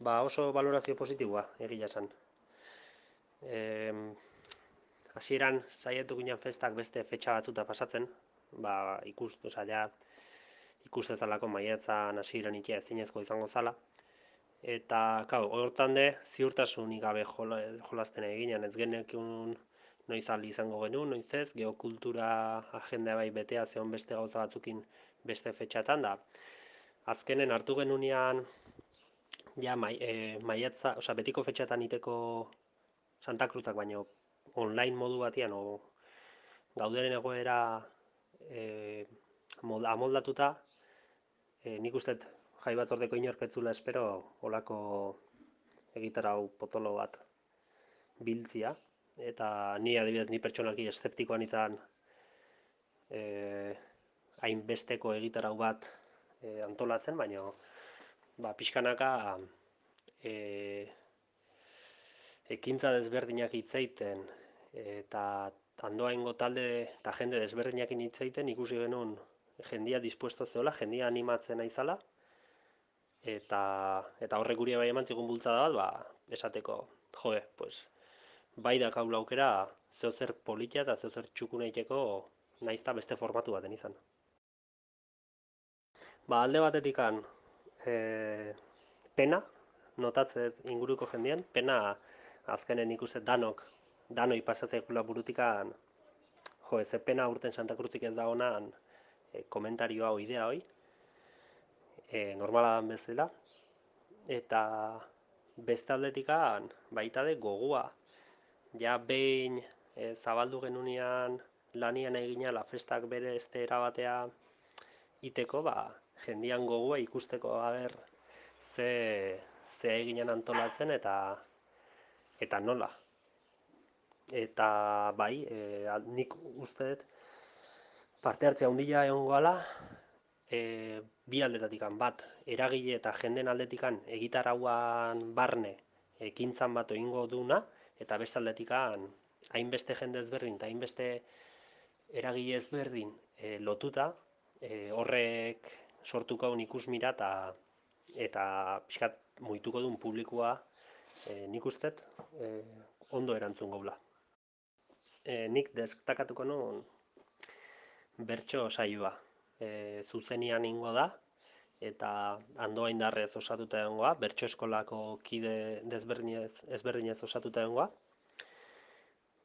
Ba oso valorazio positiboa, egia esan. Em, Hasieran saiatu ginen festak beste fetxa batzuta pasatzen, ba osea, ja ikustezalako maiatzan hasieran ikia ezinezko izango zala. Eta, kau, hortan de, ziurtasunik gabe jolasten eginen, ez genekun noiz aldi izango genuen, noiz ez, geokultura agenda bai betea zeon beste gauza batzukin beste fetxatan da. Azkenen hartu genunean, ja, maiatza, osea, betiko fetxatan iteko Santa Cruzak baino online modu batean, gauderen egoera e, amoldatuta, nik uste jai batzordeko inorketzula espero olako egitarau potolo bat biltzia, eta ni adibidez ni pertsonalki eszeptikoan izan hainbesteko egitarau bat antolatzen, baina ba, pixkanaka e, ekintza desberdinak hitzeiten eta andoaingo talde eta jende desberdinak hitzeiten ikusi genuen jendia dispuesto zeola, jendia animatzen aizala, eta horrek guri bai eman zigun bultzada bat, ba, esateko, joe, pues, bai da kaula aukera zeozer politia eta zeozer txukuna iteko naizta beste formatu baten izan. Ba, alde batetikan pena, notatzet inguruko jendien, pena azkenen ikuste danoi pasatzekula burutikan, jo, ze pena urten Santa Cruzik ez da honan komentarioa o idea hoi, normala dan bezala, eta beste aldetikan baita de gogoa. Ja behin zabaldu genunean lanian egina la festak bere este erabatea iteko, ba, jendian gogoa ikusteko aber ze eginen antolatzen eta nola. Eta bai, nik uste dut parte hartzea handia egongo gala, bi aldetatikan bat, eragile eta jenden aldetikan egitarauan barne ekintzan bat egingo duna, eta beste aldetikan hainbeste jende ezberdin eta hainbeste eragile ezberdin lotuta, horrek sortuko duen ikusmira eta pixkat muituko duen publikoa nik ustet ondo erantzun gaula. Nik destakatuko nuen bertso saioa. Zuzenian ingo da, eta andoaindarrez osatuta egongoa, bertso eskolako kide ezberdinez osatuta egongoa.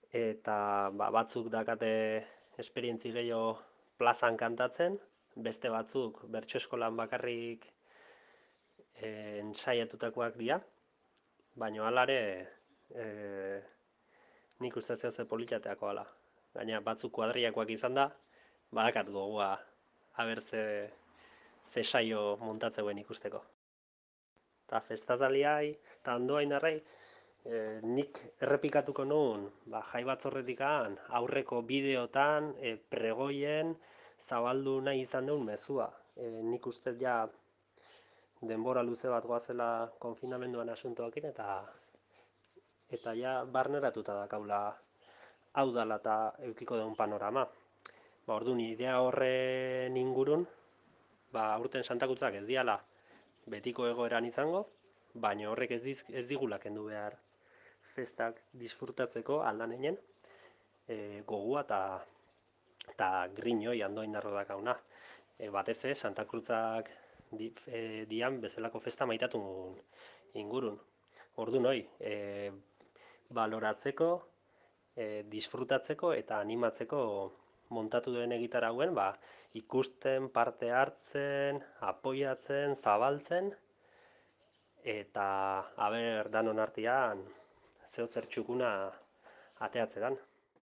Eta ba, batzuk dakate esperientzi gehiago plazan kantatzen, beste batzuk bertso eskolan bakarrik ensaiatutakoak dira, baina alare nik uste ze politateako ala. Gaina batzuk kuadriakoak izan da, badakat gogoa aber ze saio montatzeuen ikusteko. Eta festazaliai, eta andoain darrai, nik errepikatuko nuen ba, jai batzorretikan aurreko bideotan, pregoien, zabaldu nahi izan duen mezua. Nik uste ja denbora luze bat goazela konfinamenduan asuntoakin, eta ja barneratuta dakaula hau dala eta eukiko duen panorama. Ba, orduan, idea horren ingurun, ba, aurten Santakutzak ez diala betiko egoeran izango, baina horrek ez digula kendu behar festak disfrutatzeko aldanenen gogua eta griñoi andoain darro dakauna. Batez ez, Santa Cruzak dian bezalako festa maitatu ingurun. Orduan hoi, baloratzeko, disfrutatzeko eta animatzeko montatu duen egitarauen, ba, ikusten, parte hartzen, apoiatzen, zabaltzen, eta aber danon artean zeo zer txukuna ateatzean.